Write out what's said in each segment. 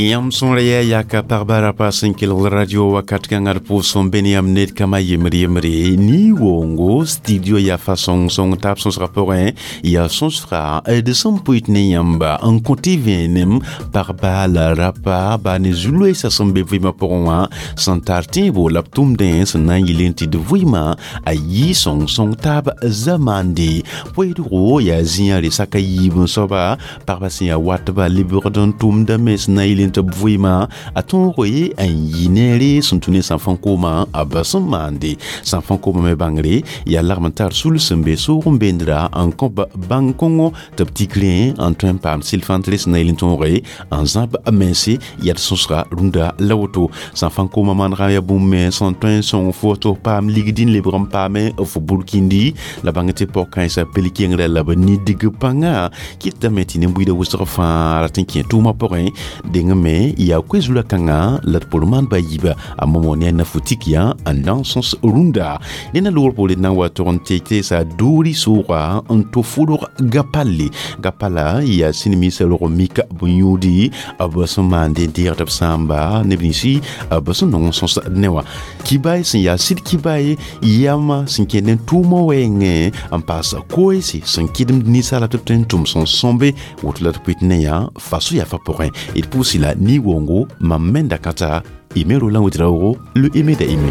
Yãmb sõor yaa yaka pagba rapa sẽn kelg radio wakat kãngã d pʋʋs n be ne yãmb ned kãma yembre yembre ni-woongo studio yaa fa sõng-sõng taab sõsgã pʋgẽ yaa sõsga d sẽn pʋɩt ne yãmba n kõ tɩ vẽenem pagba la rapa baa ne zu-loeesã sẽn be vɩɩmã pʋgẽ wã sẽn tar tẽebo la b tʋmdẽ sẽn na n yɩl n tɩ d vɩɩmã a yɩ sõng-sõng taab zamande poeedgo yaa zĩã re saka yiib n soaba pagba sẽn yaa watba lebgd n tʋmdame sẽn na n yɩl n tɩ b vɩɩmã a tõogo ye n yɩ neere sẽn tũ ne sãnfã koomã a ba sẽn maande sãnfã koomã me bãngre yaa lagm n tar sul sẽn be soog n beendra n kõ bãng kõngo tɩ b tikrẽ n tõe n paam sɩl-fãntre sẽn na yɩl n tõoge n zãb mense yaa d sõsga rũndã la woto sãnfã koomã manegã yaa bũmb me sẽn tõe n sõng fo tɩ f paam ligd n lebg n paame fo burkindi la bãng tɩ pɔg-kãensã pel kengrã la b nidg pãnga kɩtame tɩ nin-buiidã wʋsg fãa rat n kẽ tʋʋmã pʋgẽ deng me yaa koe-zulã kãngã la d pʋr maan ba yiiba a momo ne a nafutik yã n na n sõs rũndã ne na loogr poore na n wa tog n tɩ teesa doori sʋʋga n to fʋlg gapalle gapala yaa sĩnmisã rog mik bõn-yũudi b sẽn maande n deegd b sãamba neb ninsi b sẽn nong n sõs ne wã kibaay sẽn yaa sɩd kibaay yama sẽn kẽnd n tʋʋmã wɛɛngẽ n paas koeese sẽn kɩdemd ninsaala tɩ b tõe n tʋm sẽn sõmbe woto la d pʋɩt ne yã faso yaa fa pʋgẽ d pʋʋs la ni-wongo mam menda kãta ime Roland Ouedraogo le ime da ime.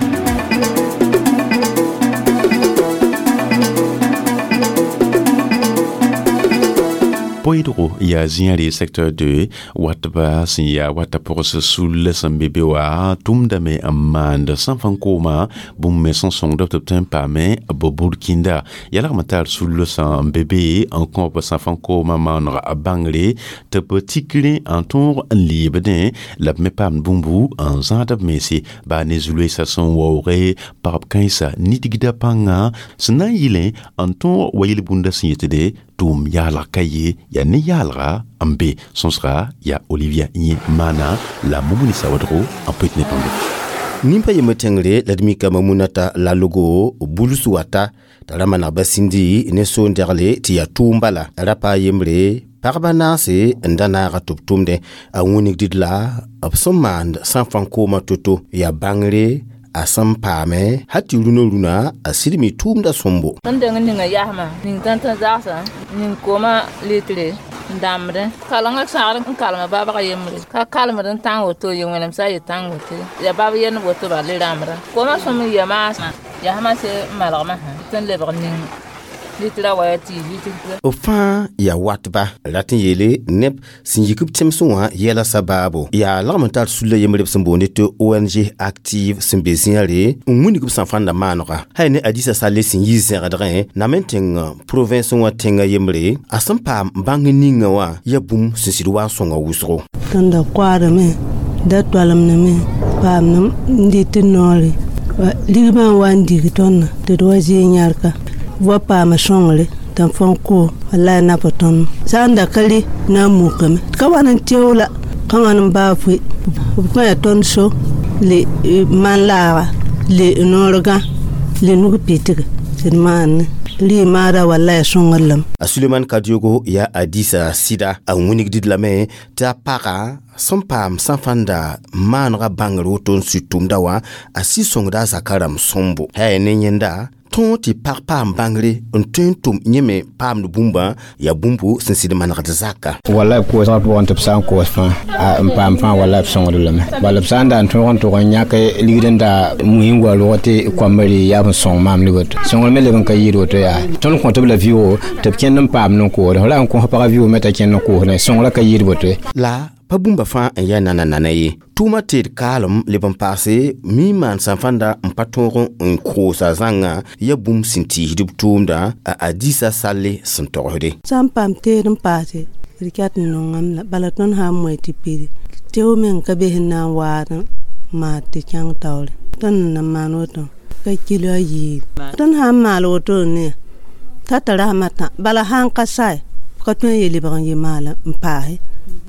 Poeedgo yaa zĩã re secteur 2 watba sẽn yaa wata pʋgs sul sẽn be be wã tʋmdame n maand sãn-fãn kooma bũmb me sẽn sõngd b tɩ b tõe n paame b burkinda yaa lagm n tar sul sẽn be be n kõb sãn-fãn koomã maaneg bãngre tɩ b tikrẽ n tõog n leebdẽ la b me paamd bũmbu n zãad b mense baa ne zu-loeesã sẽn waooge pagb kãensã nidgda pãnga sẽn na n yɩlẽ n tõog wa yel-bũndã sẽn yetde tʋʋm yaalg ka ye yaa ne yaalga n be sõsga yaa Olivia yẽ maana la Mumuni Sawadgo n pʋɩt ne tõndo Nimpa yembr tẽngre la d mikame munata lalogo buls wata t'a ra maneg ba sĩndi ne soon-dɛgle tɩ yaa tʋʋm bala rapa yembre pagba naase n da naaga tɩ b tʋmdẽ a wĩnigd la b sẽn maand sãn-fãn koomã to-to yaa bãngre a sẽn paame hal tɩ rũnã rũnã a sɩd mi tʋʋmda sõmbo. Sẽn deng n ninga yasmã ning tãn-tã zagsã ning koomã litre n dãmbdẽ kalengã sãgr n kalma babg yembre ka kalmd n tãng woto ye wẽnem sã a ye tãng woto ya bab yend woto bala le rãmbda koomã sõm n ya maasã yasmã se n malgmã sã tɩ n lebg ning litra wa tɩ litre. B fãa yaa watba rat n yeele neb sẽn yik b tẽmsẽ wã yɛla sabaabo yaa lagm n tar sulla yembre b sẽn boonde tɩ ONG Active sẽn be zĩã-re n wilg b sã-fãnda maanega hay ne Adisa Sale sẽn yi zẽgdgẽ nam n tẽng province wã tẽngã yembre a sẽn paam bãng ninga wã yaa bũmb sẽn sɩd wa n sõnga wʋsgo. Tõnd da koaadame da toalemdame paam n dɩt noore ligmã n wa n dig tõndã tɩ d wa zɩɩ yãrka wa paama sõngre tɩ n fõn koo wallai na pa tõnd sã n da ka re na n mukame ka wan n teo la ka wãn n baa foe b kõ yaa tõnd so le man laaga le noorgã le nug pɩtge tɩ d maanne rɩ maada wallai sõngr lame. A Suleman Kadiogo yaa Adisa sɩda a wĩnigd lame tɩ a paga sẽn paam sã-fãnda maanegã bãngr woto n sʋɩ tʋmda wã a sɩ sõngda a zaka rãmb sõmbo hay ne yẽnda tõog tɩ pag paam bãngre n tõe n tʋm yẽ me paamd bũmbã yaa bũmbu sẽn sɩd manegd zaka. Wallai koosgã pʋgẽ tɩ b sã n koos fãa n paam fãa wallai b sõngd lame bala b sã n da n tõog n tʋg n yãk ligd n da mui n wa rog tɩ koambã rɩ yaa b n sõng maam le woto sõngr me leb n ka yɩɩd woto yaa tõnd kõt b la vɩʋgo tɩ b kẽnd n paam n koosd f ra n kõs pagã vɩʋg me t'a kẽnd n koosdẽ sõngrã ka yɩɩd woto. La pa bũmba fãa n yaa nana-nana ye tʋʋmã teed kaalem leb n paase mi n maan sã-fãnda n pa tõog n koosa zãngã yaa bũmb sẽn tiisd b tʋʋmdã a Adisa Salle sẽn togsde. Sã n paam teed n paase d ket n nongame la bala tõnd sã n moe tɩ pidi teo meng ka be sẽn na n waad n maad tɩ kẽng taoore tõnd n na maan woto ka kilo a yiib tõnd sã n maal woto ne t'a t'a rasmã tã bala sã n ka sae ka tõe n ye lebg n ye maal n paase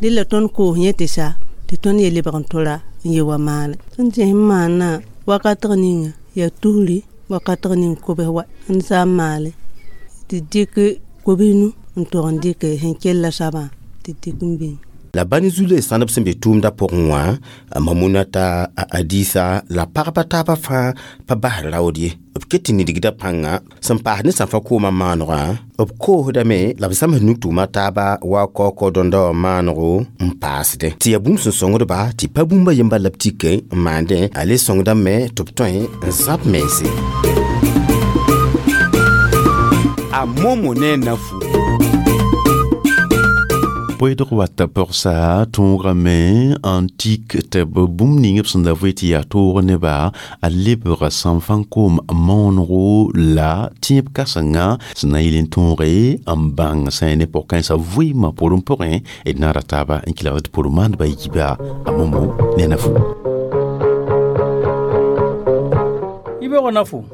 dɩla tõnd koos yẽ tɩ sa tɩ tõnd ye lebg n tora n ye wa maale tõnd tɩ sẽn maana wakatg ninga yaa tusri wakatg ning kobs wa n sã n maale tɩ dɩk kobs nu n tog n dɩk sẽn kella soabã tɩ dɩk n bĩng. La bani zule sãnd b sẽn be tʋʋmdã pʋgẽ wã, Mamunata, a Adisa la pagba taabã fãa pa basd raood ye. B ket tɩ nidgda pãnga sẽn paas ne sãnfa koomã maanegã, b koosdame la b zãms nug-tʋʋma taaba wa kaokao dõnda wã maanego n paasdẽ, tɩ yaa bũmb sẽn sõngdba tɩ pa bũmba yemba la b tik n maandẽ, a le sõngdame tɩ b tõe n zãb mense. A Momo ne nafu. Poedg wat pogsa tõogame n tik tɩ b bũmb ning b sẽn da vɩ tɩ yaa toog neba a lebg sãnfã koom moonego la tẽeb kãsenga sẽn na n yɩl n tõoge n bãng sã ne pʋg-kãensã vɩɩmã pʋrẽ pʋgẽ d naara taaba n kelgd tɩ pʋr maandbã yiiba a Momo ne a nafu. Yibeoogã nafu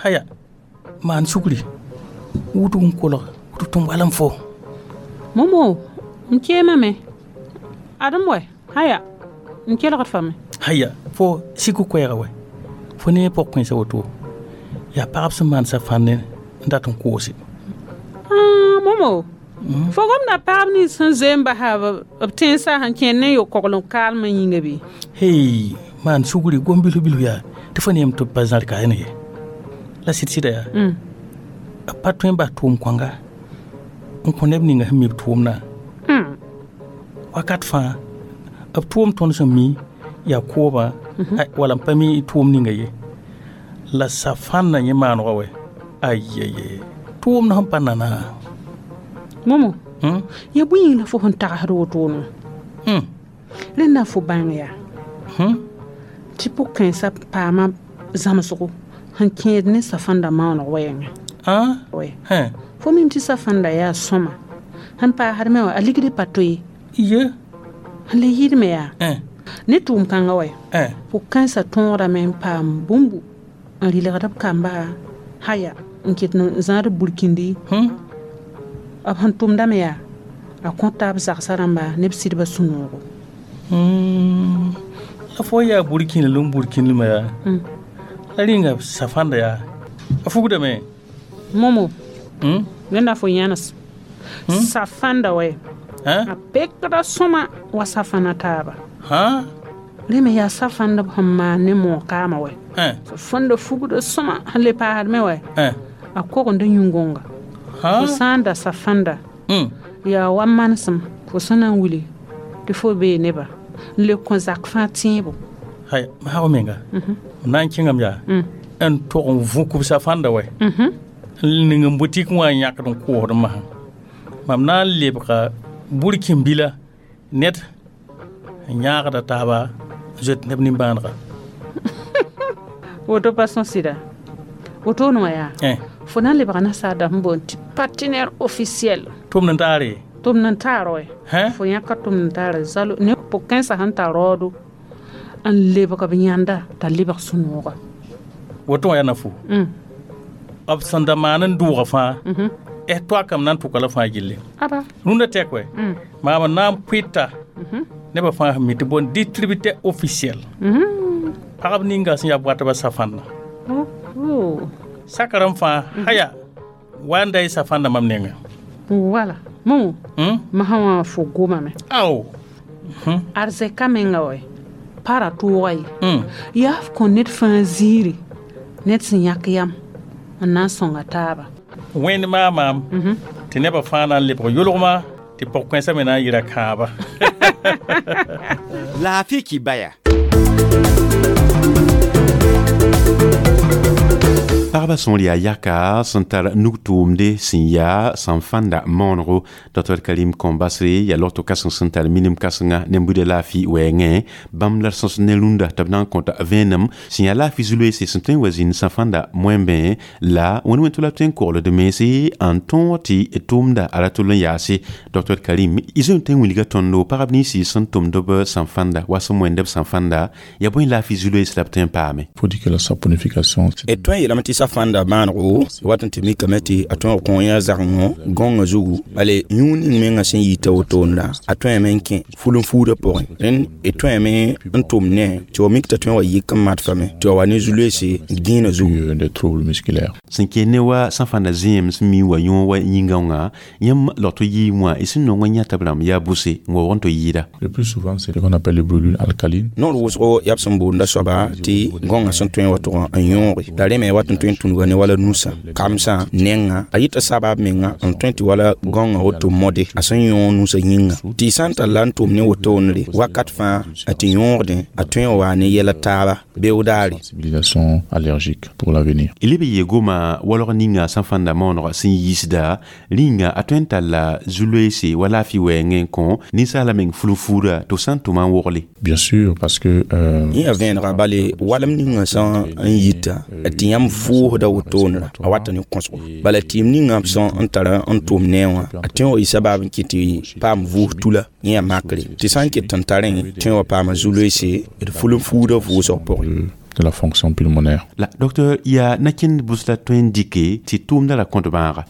haya maan sugri wudg n kolg tɩ tʋm wal n fo. Momo, n keemame adem wɛ haya n kelgd fame. Haya fo sik koɛɛga wɛ fo ne pʋg-kãensã woto yaa pagb sẽn maan safãn n dat n koose. Momo, fo gomda paab nins sẽn zoe n basa b tẽnsã sẽn kẽnd ne yo-kogl n kaalmã yĩnga bɩ? Hey, maan sugri gom bilf bilf yaa tɩ fo neem tɩ b pa zãr ka ye la sɩd-sɩda yaa b pa tõe n bas tʋʋm kõnga n kõ neb ninga sẽn mi b tʋʋmdã. Wakat fãa b tʋʋm tõnd sẽn mi yaa koobã wala n pa mi tʋʋm ninga ye la safãnna yẽ maanegã wɛ ayeye tʋʋmd sẽn pa nana. Momo, ya bõe yĩng la fo sẽn tagsd wotone? Rẽnda fo bãng yaa tɩ pʋg-kãensã paama zãmsgo sẽn kẽed ne safãnda maooneg wɛɛngã. Fo mim tɩ safãnda yaa sõma sẽn paasd me wã a ligd pa to ye. Ye sẽn le yɩɩdme yaa ne tʋʋm kãngã wɛ pʋg-kãensã tõodame n paam bũmbu n rɩlgd b kamba haya n ket n zãad burkindi b sẽn tʋmdame yaa a kõta b zagsã rãmba ne b sɩdbã sũ-noogo. La fo yaa burkĩnd la n burkĩndmã yaa la rĩnga safãnda yaa a fugdame. Momo, rẽnda fo yãnes safãnda wɛ a pekda sõma wa safãna taaba. Rẽ me yaa safãndb sẽn maan ne moog-kaamã wɛ safãnda fugda sõma sẽn le paasd me wɛ a kogend yũngonga. Fo sã n da safãnda yaa wa manesem fo sẽn na n wili tɩ fo bee neba n le kõ zak fãa tẽebo. Hay maag menga m na n kẽngame yaa n tog n vũk b safãnda wɛ n ning n butik wã n yãkd n koosd masã mam na n lebga burkĩn-bila ned n yãagda taaba n zoet neb nimbãanega. Woto pa sõs sɩda wotone wã yaa fo na n lebga nasaar dãmb sẽn boond tɩ partenaire officiel. Tʋm n taare. Tʋm n taar wɛ fo yãka tʋm n taare zalo ne pʋg-kãensã sẽn tar raoodo n lebg b yãnda t'a lebg sũ-nooga. Woto wã yaa nafu b sẽn da maan n dʋʋga fãa toakame na n tʋka la fãa gilli rũndã tɛk wɛ maam n na n pʋɩta nebã fãa sẽn mi tɩ boond distributeur officiel pagb ninga sẽn yaa b watbã safãnda sakrã fãa haya wa n da y safãnda mam nengã. Wala Momo, masã wã fo gomame. Ao arzɛka menga wɛ para tʋʋga ye yaa f kõ ned fãa ziiri ned sẽn yãk yam n na n sõnga taaba. Wẽnd maa maam tɩ nebã fãa na n lebg yʋlgma tɩ pʋg-kãensã me na n yɩra kãaba. Laafɩ kibaya. Pagba sõor yaa yaka sẽn tar nug-tʋʋmde sẽn yaa sãn-fãnda maonego. Dr Karim Kõmbasre yaa logto kãseng sẽn tar minim kãsenga ne buda laafɩ wɛɛngẽ bãmb la d sõs ne rũndã tɩ b na n kõta vẽenem sẽn yaa laafɩ zu-loeese sẽn tõe n wa zĩnd sãn-fãnda moẽmbẽ la wẽnd wẽn tʋ la b tõe n kogld mense n tõog tɩ tʋʋmda a ra tʋl n yaase. Dr Karim, y zoe n tõe n wilga tõndo pagb ninsi sẽn tʋmd b sãn-fãnda wa sẽn moẽnd b sãn-fãnda yaa bõe laafɩ zu-loees la b tõe n paame? Faut dire que la saponification d tõe n yeelame tɩ Safãnda maanego wat n tɩ mikame tɩ a tõeg kõ yã zagengõ gõngã zugu, bale yũud ning mengã sẽn yita wotone la a tõeme n kẽ ful n fuudã pʋgẽ. Rẽnd d tõeme n tʋm ne tɩ wa mik t'a tõe wa yik n madfame tɩ wa wa ne zu-loeese gẽenã zugu. Des troubles musculaires. Sẽn kẽ ne wa sãfãnda zẽem sẽn mi wa yõ wa yĩngã wã, yãmb logto yɩɩm wã y sẽn nong n yãta b rãmb yaa bʋse n waoog n tɩ yɩɩda. Le plus souvent, c'est ce qu'on appelle les brûlures alcalines. Noor wʋsgo yaa b sẽn boonda soaba tɩ gõngã sẽn tõe wa tʋg n yõoge la rẽ me wat n tõe n tũnuga ne wala nusã, kamsã, nengã, a yɩta sabab menga n tõe tɩ wala gõngã woto mode a sẽn yõog nusã yĩnga, tɩ sã n tar la n tʋm ne wotone wakat fãa a tɩ yõogdẽ a tõe n waa ne yɛla taaba beoog daare. Sensibilisation allergique pour l'avenir. Y leb n yee goma walg ninga sãfãnda maooneg sẽn yiisda rĩnga a tõe n talla zu-loeese wa laafɩ wɛɛngẽ n kõ ninsaala meng fulu-fuuda tɩ f sã n tʋma n wogle. Bien sûr, parce que yẽ yaa vẽenega, bale walem ninga sã n yita tɩ yãmb vʋʋsda wotone a wata ne kõsgo, bala tɩɩm ninga b sã n tara n tʋm ne wã a tõe wa yɩ sabab n kɩt tɩ paam vʋʋs tula. Yẽ yaa makre tɩ sã n ket n tarẽ tõe wa paama zu-loeese d ful n fuuda vʋʋsg pʋgẽ. De la fonction pulmonaire. La docteur, yaa nakẽnd bʋs la tõe n dɩke tɩ tʋʋmda la kõt bãaga?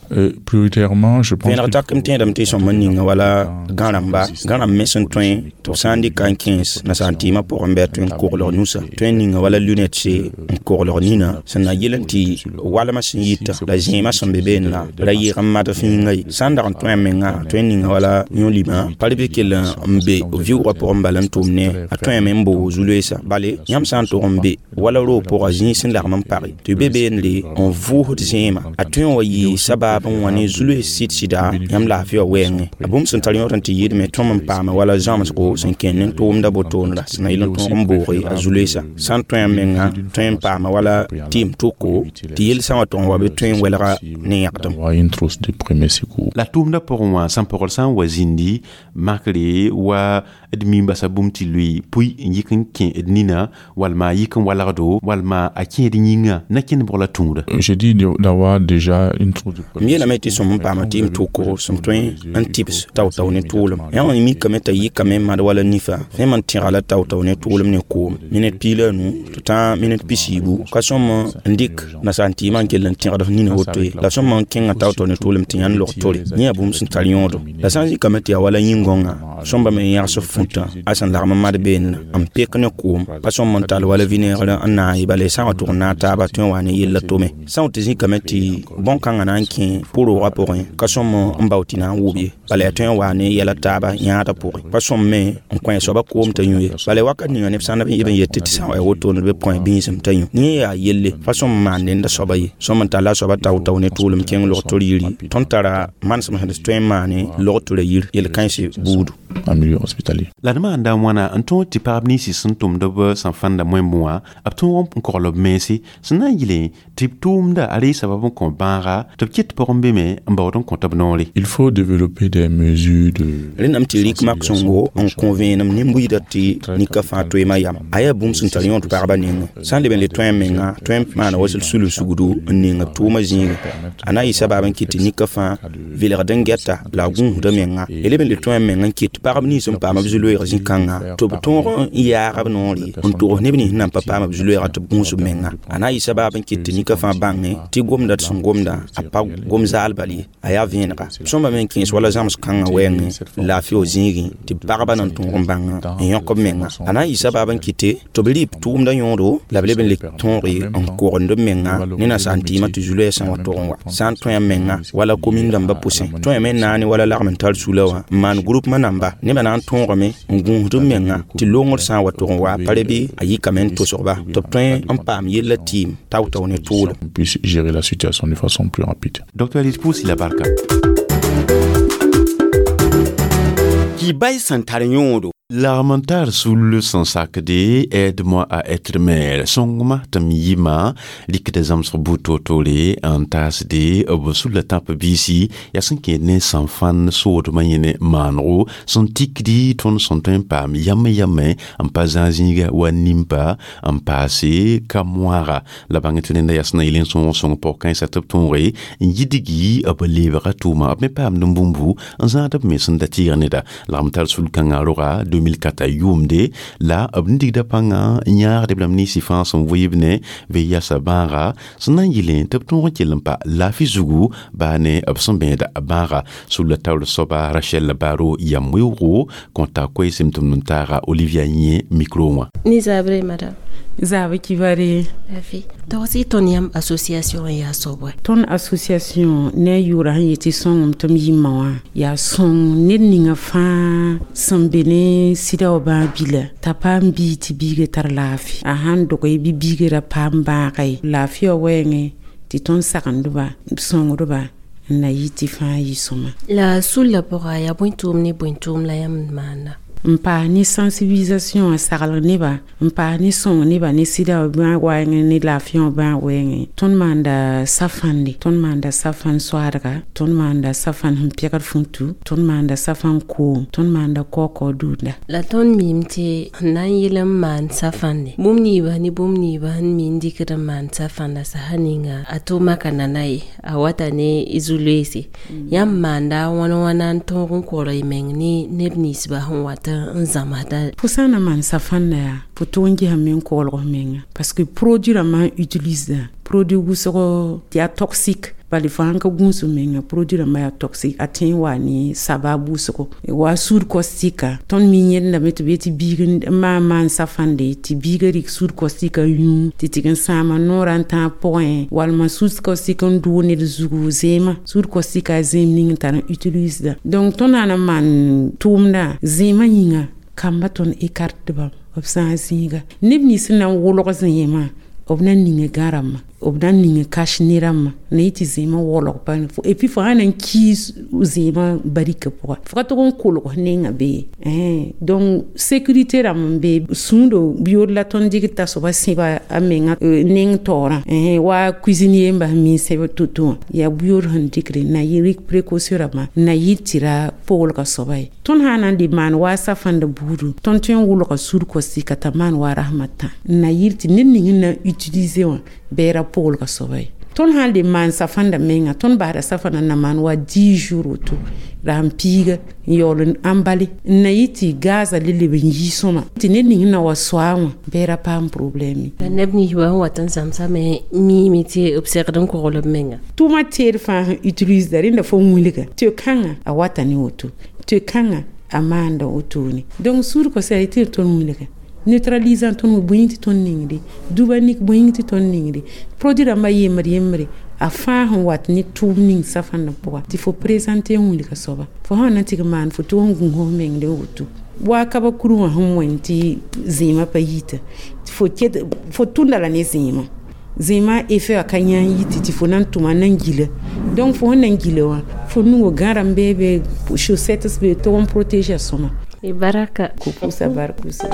Prioritairement, je pense. Vẽneg tak m tẽedame tɩ sõm n ninga wala gãrãmba, gãrãmb me sẽn tõe tɩ b sã n dɩka n kẽes nasaar tɩɩmã pʋgẽ bɩ a tõe n koglg nusã, tõe n ninga wala lunette n koglg nina sẽn na yel n tɩ walmã sẽn yita la zẽemã sẽn be beene la ra yɩɩg n mad fĩinga ye. Sã n dag n tõe a menga tõe n ninga wala yõ-limã pa bɩ kell n be vɩʋʋgã pʋgẽ bala n tʋm ne a tõeme n boog zu-loeesa, bale yãmb sã n tʋg n be wala roog pʋga zĩig sẽn lagm n page tɩ be beenre n vʋʋsd zẽema a tõe n wa yɩ sabab n wã ne zu-loees sɩd-sɩda yãmb laafɩ wã wɛɛngẽ. A bũmb sẽn tar yõod n tɩ yɩɩdme tõm n paame wala zãmsgo sẽn kẽnd ne tʋʋmda botoonra sẽn na yɩl n tõog n booge a zu-loeesa. Sã n tõe a menga tõe n paama wala tɩɩm tʋko tɩ yel-sã wã tʋg n wa bɩ tõe n welga ne yãgdem. Une trousse de premier secours. La tʋʋmdã pʋgẽ wã sãn pɔgl sã n wa zĩndi makre wa d mim basa bũmb tɩ lʋɩ pʋy n yik n kẽ d nina walma a yik n walgdo walma a kẽed yĩnga na kẽnd bʋg la tũuda. J'ai dit d'avoir déjà une trousse de M yeelame tɩ sõm n paama tɩɩm tʋko sẽn tõe n tɩbs tao-tao ne tʋʋlem. Yã wã mikame t'a yikame n mad wala nifa fẽem n tẽga la tao-tao ne tʋʋlem ne koom minit 15 tɩ tã minit 40 ka sõm n dɩk nasaar tɩɩmã n kell n tẽgd f nina woto ye, la sõm n kẽngã tao-tao ne tʋʋlem tɩ yãnd log tore. Yẽ yaa bũmb sẽn tar yõodo. La sã n zikame tɩ yaa wala yĩn-gõngã sõmba me n yãgs f fũtã a sẽn lagm n mad beene n pek ne koom pa sõm n tall wala vinaigre n naag ye, bala sã n wa tʋg n naag taaba tõe n wa ne yella tome. Sã n tɩ zĩkame tɩ bõn-kãngã na n kẽ pʋ-roogã pʋgẽ ka sõm n bao tɩ na n wʋb ye, bala yaa tõe n waa ne yɛla taaba yãadã pʋgẽ, pa sõm me n kõ soaba koom t'a yũ ye, bala wakat ninga neb sã n b n yet tɩ sã n wa ya wotone bɩ b kõ bĩisem t'a yũ. Yẽ yaa yelle pa sõm n maan nenda soaba ye, sõm n talla a soaba tao-tao ne tʋʋlem kẽng log-tor yiri. Tõnd tara manesem sẽn tõe n maane log-tora yir yel-kãense buudu. En milieu hospitalier. La d maanda wãna n tõog tɩ pagb ninsi sẽn tʋmd b sẽn fãnda moẽmb wã b tõog n kogl b mense sẽn na n yɩle tɩ b tʋʋmda a ree sabab n kõ bãaga tɩ b ket pʋgẽ be me n baood n kõt b noore. Il faut développer des mesures de Rẽnname tɩ rɩk mak sõngo n kõ vẽenem nin-buiidã tɩ nika fãa toeemã yam a yaa bũmb sẽn tar yõod pagba nengẽ. Sã n leb n le tõe a menga tõe n maana wa sel sul sugdu n ning b tʋʋmã zĩigẽ, a na n yɩ sabab n kɩt tɩ nika fãa vɩlgd n gɛta la a gũusda menga. Y leb n le tõe a meng n kɩt pagb nins n paam b zu-loeeg zĩ-kãnga tɩ b tõog n yaag b noore n togs neb nins nan pa paam b zu-loeega tɩ b gũus b menga. A na n yɩ sabab n kɩt tɩ nika fãa bãnge tɩ gomda d sẽn gomda a pa gom zaal bal ye, a yaa vẽenega. Sõmba me n kẽes wala zãms kãngã wɛɛngẽ laafɩ wa zĩigẽ tɩ pagba na n tõog n bãnga n yõk b menga. A na n yɩ sabab n kɩte tɩ b rɩ b tʋʋmda yõodo la b leb n le tõoge n kogend b menga ne nasaar tɩɩmã tɩ zu-loɛɛsã wã tʋg n wa. Sã n tõe a menga wala komin dãmbã pʋsẽ tõeme n naane wala lagm n tar sula wã n maan groupement namba nebã na n tõogame n gũusd b menga tɩ longr sã n wa tʋg n wa pa re bɩ a yikame n tʋsg-ba tɩ b tõe n paam yella tɩɩm tao-tao ne tʋʋlem. Puisse gérer la situation de façon plus rapide. Docteur Alice la barka. Kibay sẽn tar yõodo. Lagm n tar sul sẽn sakde Aide-moi à être mère, sõngma tɩ m yɩma rɩkda zãmsg buud toor-toore n taasde b sulla tãp biisi yaa sẽn kẽed ne sãn fãn soodmã yẽne maanego sẽn tikdi tõnd sẽn tõe n paam yame yame n pa zãag zĩiga wa nimpa n paase ka moaga la bãng tɩ rẽnda yaa sẽn na yɩl n sõog sõng pɔg-kãensã tɩ b tõoge n yidgi b leebga tʋʋma b me paamd n bũmbu n zãad b mens n da tɩɩg neda. Lagm tar sul-kãngã roga. 2004 yʋʋmde la b digda pãngã yãagdb rãmb ninsi fãa sẽn vɩɩb ne VIH bãaga sẽn na n yɩlẽ tɩ b tõog n kell n pa laafɩ zugu baa ne b sẽn bẽeda bãaga. Sulla taoor soaba Rachel Baro yam weoogo kõta koeesem tʋmd n taaga Olivia Yẽ micro wã. Ni zabre madame. Zabe kibare. Lafi. Togsi tõnd yãmb association n yaa soab wɛ? Tõnd association ne a yʋʋra sẽn yetɩ sõngem tɩ m yĩmma wã yaa sõng ned ninga fãa sẽn be ne sɩda wã bãag bila t'a paam biig tɩ biiga tar laafɩ a sãn doge bɩ biiga ra paam bãaga ye laafɩ wã wɛɛngẽ tɩ tõnd sagendba sõngdba n na yɩ tɩ fãa yɩ sõma. La sulla pʋga yaa bõe tʋʋm ne bõe tʋʋm la yãmb maanda? N paas ne sensibilisation n saglg nebã n paas ne sõng nebã ne sɩda wã bãag wɛɛngẽ ne laafɩ wã bãag wɛɛngẽ. Tõnd maanda safãnde, tõnd maanda safãn soaadga, tõnd maanda safãn sẽn pɛgd futu, tõnd maanda safãn koom, tõnd maanda kaokao dũunda. La tõnd miime tɩ sẽn na n yɩl n maan safãnde bũmb niibã ne bũmb niibã sẽn mi n dɩkd n maan safãnda sasa ninga a tʋʋma ka nana ye a wata ne zu-loeese yãmb maanda wãna wãna n tõog n kogl y meng ne neb ninsbã sẽn wat n zãmsda. Fo sã n na maan safãnda yaa fo tʋg n gesame n koglg f menga parce que produit rãmbã sẽn utilise produit wʋsgo yaa toxique bala fo sãn ka gũus menga produit rãmbã yaa toxique a tõe n wa ne sabab wʋsgo wa soude caustique. Tõnd mi yẽndame tɩ b yetɩ biig n maan maan safãnde tɩ biigã rɩk soude caustique n yũ tɩ tɩg n sãama noorã n tãag pʋgẽ walma soude caustique n dʋʋg ned zugu zẽema soude caustique a zẽem ning n tar n utilisda. Donc tõnd na n maan tʋʋmdã zẽemã yĩnga kamba tõnd écarteba b sã n zĩiga neb nins sẽn na n wʋlg zẽemã b na n ning gã rãmbã b na n ning cache-nez rãmbã na yɩ tɩ zẽemã waoolg pa et puis fo sã na n kiis zẽemã barika pʋga fo ka tog n kolg nenga be. Donc sécurité rãmb n be sũudo yood la tõnd dɩgd t'a soaba sẽba a menga neng taoorã wa cuisinier n bas mi sẽb to-to wã yaa buyood sẽn dɩkre na yɩ rɩk précaution rãmbã na yɩ tɩ ra poolga soaba ye. Tõnd sã na n le maan wa safãnda buudu tõnd tõe n wʋlga soude caustique t'a maan wa rasmã tã n na yɩl tɩ ned ning n na utiliser wã bɩ ra poolga soaba ye. Tõnd sã n le maan safãnda menga tõnd basda safãnda na maan wa 10 jours woto la sẽn piiga n yaool n ãmbale n na yɩ tɩ gaza le leb n yii sõma tɩ ned ning na wa soa wã bɩ ra paam problème. La neb ninsbã sẽn wat n zãmsame miime tɩ b segd n kogl b menga. Tʋʋmã teed fãa sẽn utilisda rẽnda fo wilga tɩ kãngã a wata ne woto tɩ kãngã a maanda wotone. Donc soude caustique tɩ tõnd wilga neutralisant tõnd bõe tɩ tõnd ningde duba nik bõe tɩ tõnd ningde produit rãmbã yembr yembre a fãa sẽn wat ne tʋʋm ning safãndã pʋga tɩ fo présente n wilga soaba fo sã na tɩg maan fo tʋg n gũus f mengd n woto wa ka ba kuru wã sẽn wẽnd tɩ zẽemã pa yita fo ket fo tʋnda la ne zẽemã zẽemã effet wã ka yãa yiti tɩ fo na n tʋma na n gila. Donc fo sẽn na n gila wã fo nugo gãrãm beebe chaussettes be tʋg n protéger a sõma. Baraka. Kupusa barkusa.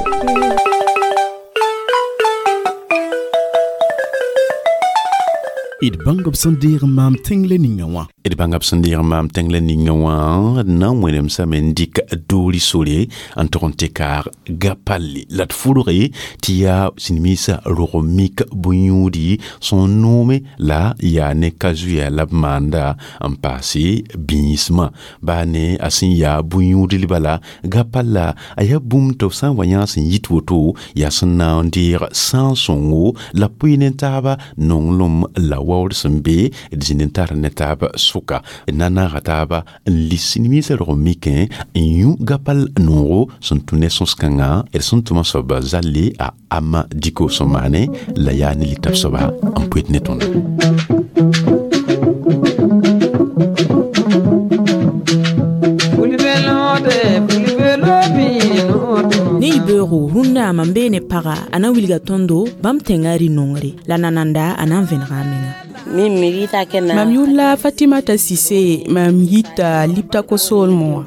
D bãng b sẽn deeg n maam tẽng la ninga wã. D bãnga b sẽn deeg n maam tẽng la ninga wã na n wẽnemsame n dɩk doori sore n tog n tɩ kaag gapalle la d fʋrge tɩ yaa sĩnmiisã rog mik bõe-yũudi sẽn noome la yaa ne ka-zuya la b maanda n paase bĩismã baa ne a sẽn yaa bõe-yũudl bala gapalla a yaa bũmb tɩ b sã n wa yã sẽn yit woto yaa sẽn na n deeg sãn-sõngo la pʋɩ ne taaba nonglem la waoor sẽn be d zĩnd n tar ne taab sʋka na naaga taaba n lis sĩnmiisã rog n mikẽ n yũ gapal noogo sẽn tũ ne sõs-kãngã d sẽn tʋma soaba zalle a ama diko sẽn maane la yaa ne litab soaba n poet ne tõndo. Ne yibeoogo rũndã mam bee ne paga a na n wilga tõndo bãmb tẽngã rĩ-nongre la nananda a na n vẽnega a menga. Mam yʋʋr la Fatimata Sise, mam yita Liptako soolmẽ wã.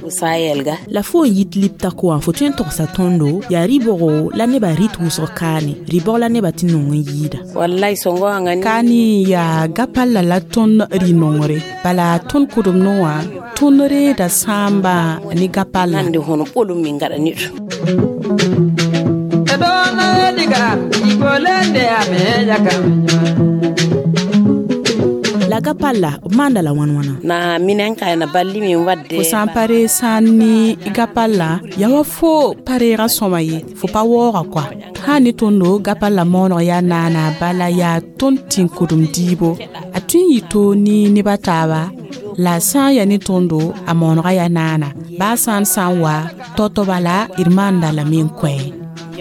La fo n yit Liptako wã fo tõe n togsa tõndo yaa rɩ-bʋgo la nebã rɩt wʋsg kaane rɩ-bog la nebã tɩ nong n yɩɩda. Kaane yaa gapalla la tõnd rĩ-nongre bala tõnd kʋdemdẽ wã tõnd reeda sãambã ne gapalla. La gapalla b maanda la wãn wãna na minen ka na balli min wadde fo sã n pa reeg sã n ne gapalla yaa wa fo pa reega sõma ye fo pa waooga koa sã ne tõndo gapalla maooneg yaa naana bala yaa tõnd tɩ kʋdem diibo a tõe n yɩ toor ne neb a taaba la sã n yaa ne tõndo a maoonega yaa naana baa sã n sã n wa tao-tao bala d maanda lame n kõ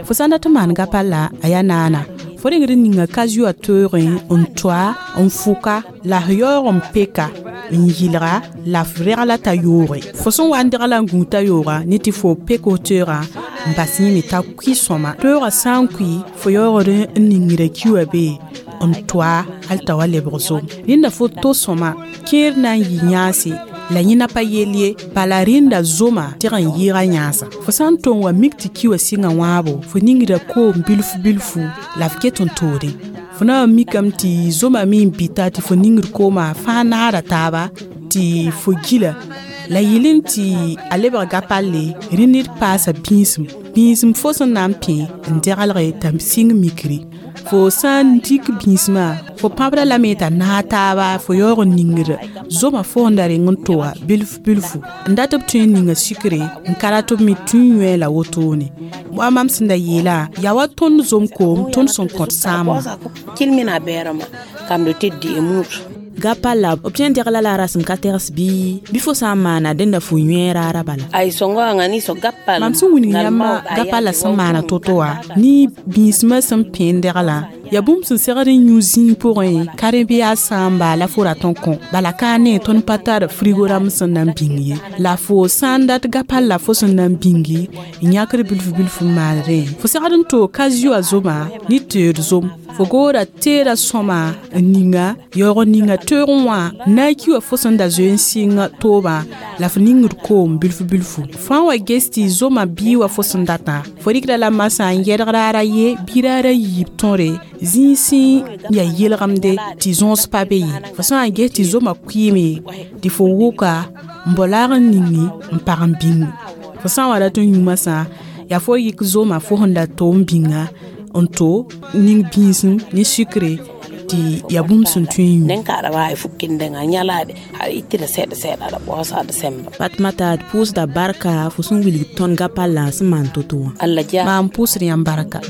fo sã n dat n maan gapalla a yaa naana fo rengd n ninga kazuã toeegẽ n toa n fʋka la f yaoog n peka n yɩlga la f regla t'a yooge fo sẽn wa n degla n gũud t'a yooga ne tɩ fo pek f toeegã n bas yẽme t'a kʋɩ sõma toeegã sã n kʋɩ fo yaoogd n ningra kiwã bee n toa hal t'a wa lebg zom rẽnda fo to sõma kẽer na n yɩ yãase la yẽna pa yell ye bala rẽnda zoma tɩg n yɩɩga yãasa fo sã n tong wa mik tɩ ki wã sɩngã wãabo fo ningra koom bilfu bilfu la f ket n toodẽ fo na n mikame tɩ zoma me n bɩta tɩ fo ningd koomã fãa naada taaba tɩ fo gila la yɩl n tɩ a lebg gapalle rẽ ned paasa bĩisem bĩisem fo sẽn na n pẽ n degelge t'a sɩng mikre fo sã n dɩk bĩismã fo pãbra lame t'a naag taaba fo yaoog n ningd zoma fo sẽn da reng n toa bilf bilfu n dat b tõe n ninga sikre n ka rat b me tũ n yõe la wotone wa mam sẽn da yeelã yaa wa tõnd zom koom tõnd sẽn kõt sãamã gapalla b tõe n degla la a rasem ka tegs bɩ fo sã n maana dẽnda fo yõe raara bala mam sẽn wilg yãmba gapalla sẽn maana to-to wã ne bĩismã sẽn pẽ n deglã yaa bũmb sẽn segd n yũ zĩig pʋgẽ ka rẽ bɩ yaa sãamba la fo rat n kõ bala ka ne tõnd pa tar frigo rãmb sẽn na n bĩng ye la fo sã n dat gapalla fo sẽn na n bĩngi n yãkd bilfu bilfu n maan rẽ fo segd n toog ka-zʋa zoma ne teed zom fo goora teeda sõma n ninga yaoog n ninga toeegẽ wã na n ki wã fo sẽn da zoe n sɩng toobã la f ningd koom bilfu bilfu fãa wa ges tɩ zoma bɩɩ wa fo sẽn datã fo rɩkda la masã n yɛdg raara ye bɩ raara yiib tõre zĩig sẽn yaa yelgemde tɩ zõos pa be ye fo sã n ges tɩ zoma kʋɩɩme tɩ fo wʋka n bao laag n ningi n pag n bĩngi fo sã n wa rat n yũ masã yaa fo yɩk zoma fo sẽn da to n bĩnga n to ning bĩisem ne sukre tɩ yaa bũmb sẽn tõe n yũ Fatmata d pʋʋsda barka fo sẽn wilg tõnd gapallã sẽn maan to-to wã maan pʋʋsd yãmb barka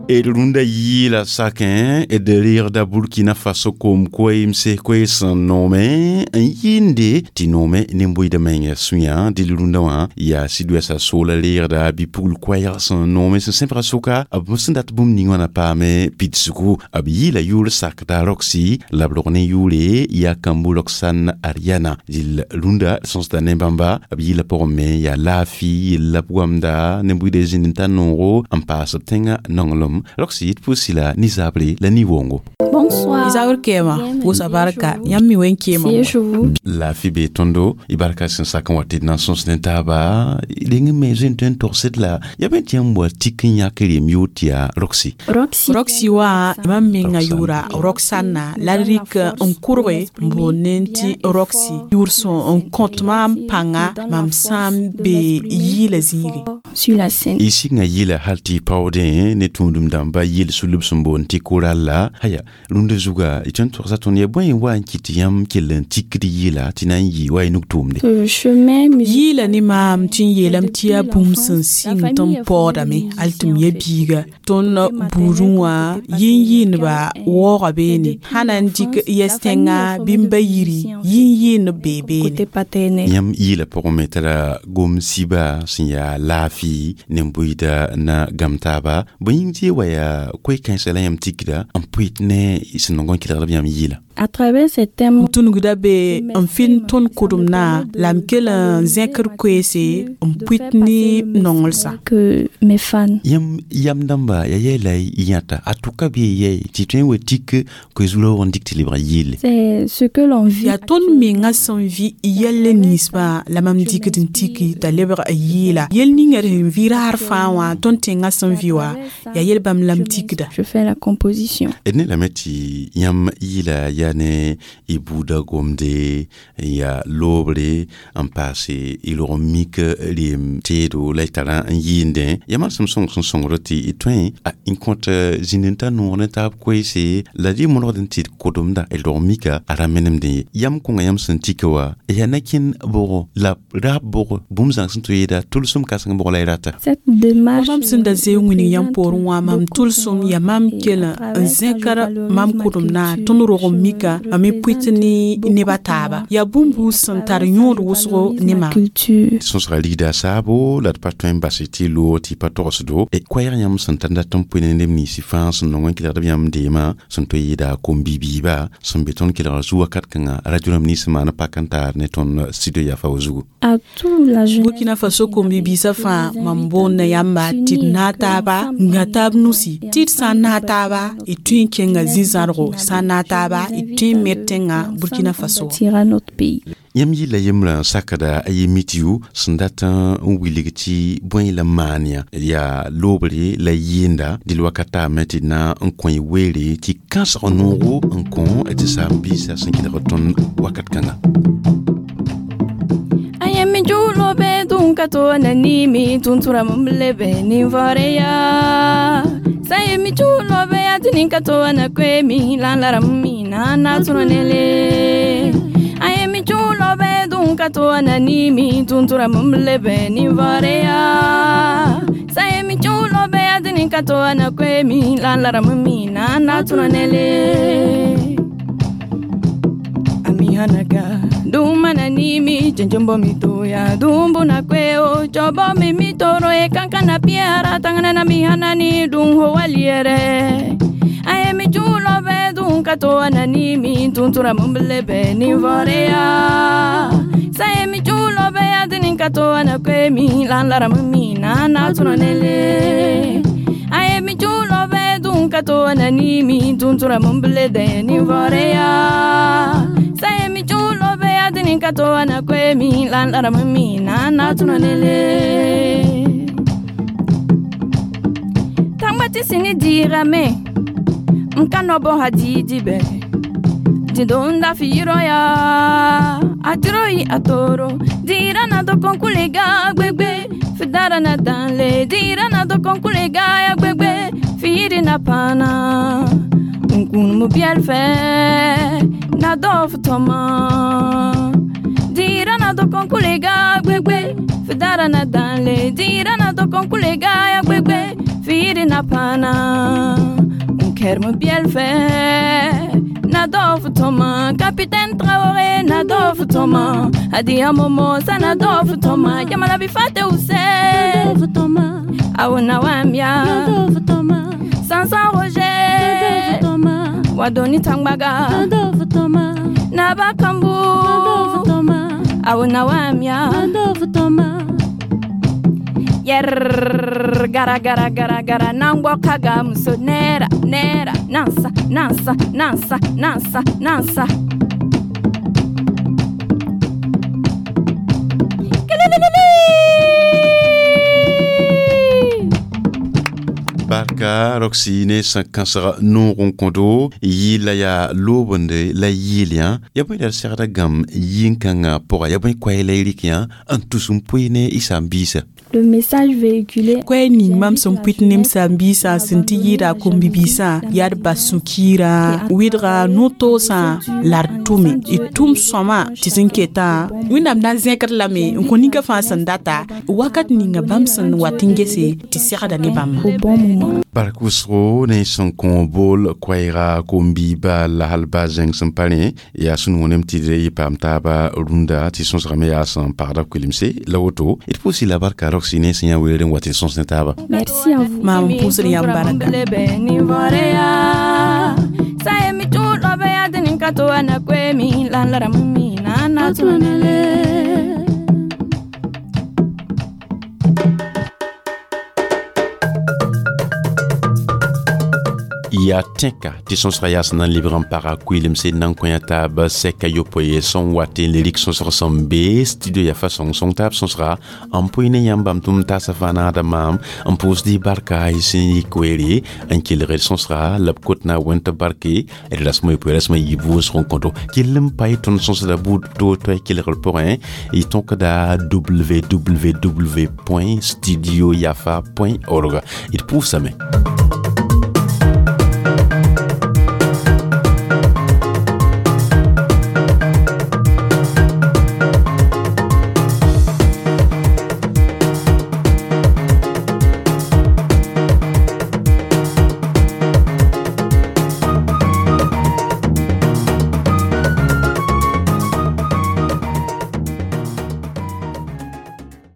d rũndã yɩɩla sakẽ d reegda Burkina Faso koom koeemse koees sẽn noome n yɩɩnde tɩ noome nin-bʋɩda menga sũyã dɩl rũndã wã yaa sud-ouest soola reegda bɩ-pugl koɛɛg sẽn noome sẽn sẽbga sʋka b sẽn dat bũmb ning wã na paame pidsgu b yɩɩla yʋʋr sakda Roxy la b rog ne yʋʋre yaa Kambu Roxane Ariana dɩl rũndã sõsda ne bãmba b yɩɩla pʋgẽ me yaa laafɩ yella b goamda nin-bʋɩda zĩnd n tar noogo n paas b tẽngã nonglem Roxy d pʋʋsi la nizabre la ni-wongo Bonsoir. Isaur kema pʋʋsa barka yãmb mi wen kema laafɩ bee tõndo y barka sẽn sak n wa tɩ d na n sõs ne taaba reng n me zoe n tõe n togsd la yaa bẽ tɩ yãmb wa tik n yãk rem yʋʋr tɩ yaa Roxy Roxy wã mam menga yʋʋra Roxana la d rɩk n kʋrge n boond ne tɩ Roxy yʋʋr sẽn n kõt maam pãnga mam sã n be yɩɩla zĩigẽ Sur la scène. Y sɩnga yɩla hal tɩ y paoodẽ ne tũudum dãmba yɩl sulb sẽn boond tɩ koral la aya rũndã zuga y tõe n togsa tõnd yaa bõe n wa n kɩt tɩ yãmb kell n tikd yɩla tɩ na n yɩ wa y nug tʋʋmde Le chemin yɩɩla ne maam tɩ n yeelame tɩ yaa bũmb sẽn sɩng tɩ n paoodame hal tɩ m ya biiga tõnd buudẽ wã yĩn-yɩɩndba waooga beene sã na n dɩk yɛs tẽnga bɩ n ba yiri yĩn-yɩɩndb bee beene côté paternel. Yãmb yɩɩla pʋgẽ me tara gom sɩba sẽn yaa laafɩ nin-bʋɩda na gam taaba bõe yĩng tɩ wa yaa koe-kãensã la yãmb tikda n pʋɩt ne sẽn nong n kelgd b yãmb yɩɩla À travers ces thèmes, n tũnugda be n fɩnd tõnd kʋdemdã la m kell n zẽkd koeese n pʋɩt ne nonglsã que mes fans. Yãmb yam dãmba yaa yɛɛ la y yãta a tʋka bɩ yɛɛ tɩ tõe n wa tik koe-zugla n dɩk tɩ lebg yɩɩle C'est ce que l'on vit. Yaa tõnd menga sẽn vɩ yɛl ninsbã la mam dɩkd n tiki t'a lebg a yɩɩla yel ninga d sẽn vɩ raar fãa wã tõnd tẽngã sẽn vɩ wã yaa yel bãmb Mam la m tikda. Je fais la composition. D ne lame tɩ yãmb yɩla yaa ne y buudã gomde n yaa loobre n paase y log n mik reem teedo la y tara n yɩɩndẽ yaa manesem sõng sẽn sõngd tɩ y tõe n kõt zĩnd n ta noog ne taab koeese la d y mõlgd n tɩ d kodomda d log mika a ra menemdẽ ye yam kõnga yãmb sẽn tika wa yaa na-kẽn bʋgo la raab bʋgo bũmb zãng sẽn tɩ yeeda tʋlsem kãseng bʋg la y rata. Cette démarche Mam sẽn da zoe n wilg yãmb poorẽ wã, mam tʋlsem yaa mam kell n zẽkr mam kʋdem-na tõnd rog n mika mam me pʋɩt ne neb a taaba yaa bũmb buud sẽn tar yõod wʋsgo ne mam. Culture. Sõsga ligda saabo la d pa tõe n bas tɩ loog tɩ pa togsdo koɛɛg yãmb sẽn tar dat n pʋɩ ne neb ninsɩ fãa sẽn nong n kelgd b yãmb deemã sẽn tõe yɩɩda kom-bi-biiba sẽn be tõnd kelgr zu wakat kãngã radio rãmb nins maan pak n taar ne tõnd studio yafa wa zugu. À tout la jeunesse. Burkina Faso kom-bi-biisã fãa mam boonda yãmba tɩ d naag taaba n gã taab nusi tɩ d sã n naag taaba d tõe n kẽnga zĩ-zãrgo sã n naag taaba d tõe n med tẽngã Burkina Faso. Bâtira notre pays. Yãmb yɩla yembrã n sakda a ye mitiyu sẽn dat n wilg tɩ bõe la maan yã yaa loobre la yɩɩnda dɩl wakat taame tɩ d na n kõ y weere tɩ kãsg noogo n kõ tɩ saam-biisã sẽn kelg tõnd wakat kãnga. Ayemi julo be dun kato na nimi tuntura mumlebe ni voreya. Sayemi julo be atini kato na kwemi lan mi na na tunonele. Ayemi julo be dun kato na nimi tuntura mumlebe ni voreya. Sayemi julo be atini kato na kwemi lan mi na na tunonele. Amihanaga dumana nimi chenchombo mituya dumbu na kweo chobo mi mitoro e kankana piara tangana na mihana ni dunho waliere aye mi chulo be dun kato na nimi tuntura mumblebe ni vorea saye mi chulo be adini kato na kwemi lan lara mumi na na tunonele aye mi chulo be dun kato na nimi tuntura mumblebe ni vorea saye mi chulo be adini kato na kwemi lan lara mumi na na tunonele tangba ti sini dirame nkano bo hadidi be didonda firoya atiroi atoro dirana do konkulega gbegbe fidara na danle dirana do konkulega ya gbegbe firi na pana nkun mu bielfe na dof toma dirana do konkulega gbegbe fidara na danle dirana do konkulega ya gbegbe firi na pana Kerme bielfe na dof toma Capitaine Traoré na dof toma Adia Momo sa na dof toma Yamala bifate use na dof toma Awona wamia na dof toma Sansan Roger na dof toma Wadoni Tangbaga na dof toma Nabakambu na dof toma Awona wamia na dof toma Yer gara gara gara gara nangwa kaga muso nera nera nansa nansa nansa nansa nansa. Barka Roxy ne sẽn kãsg noog n kõdo yɩɩla yaa loobende la yɩɩl yã ya bõe la d segda gãmb yĩn-kãngã pʋga ya bõe koɛɛ la y rɩk yã n tus n pʋɩ ne y saam-biisã. Le message véhiculé. Koɛɛ ning mam sẽn pʋɩt ne m saam-biisã sẽn tɩ yɩɩda a kom-bi-biisã yaa d bas sũ-kiirã wɩdga no-toosã la d tʋme d tʋm sõma tɩ sẽn ketã Wẽnnaam na n zẽkd lame n kõ ninka fãa sẽn data wakat ninga bãmb sẽn wat n gese tɩ segda ne bãmba. Au bon moment. Bark wʋsgo ne sẽn kõ bool koɛɛga kom-biiba la hal ba zẽng sẽn pa rẽ yaa sẽn wõnem tɩ d yɩ paam taaba rũndã tɩ sõsgame yaa sẽn pagda koelemse la woto d pʋʋsɩ la barka Roxy ne sẽn yã weere n wa tɩ sõs ne taaba. Merci à vous. Mam pʋʋsd yãmb barka. Saye mi chulo be adini kato na kwemi lan lara mumi na na tunonele. Yaa tẽka tɩ sõsga yaa sẽn na n lebg n paga kʋɩlemse n na n kõ taab sɛka yopoe sẽn wat n le rɩk sõsg sẽn be studio yafa sõng-sõng taab sõsga n pʋɩ ne yãmb bãmb tʋm taasã fãa naada maam n pʋʋsd y barka y sẽn yik weere n kelg d sõsga la b kot na wẽnd tɩ barke d rasmã yopoe rasmã yiib wʋsg n kõto kell n pa y tõnd sõsda buud to toay kelgr pʋgẽ y tõkda www.studioyafa.org. D pʋʋsame.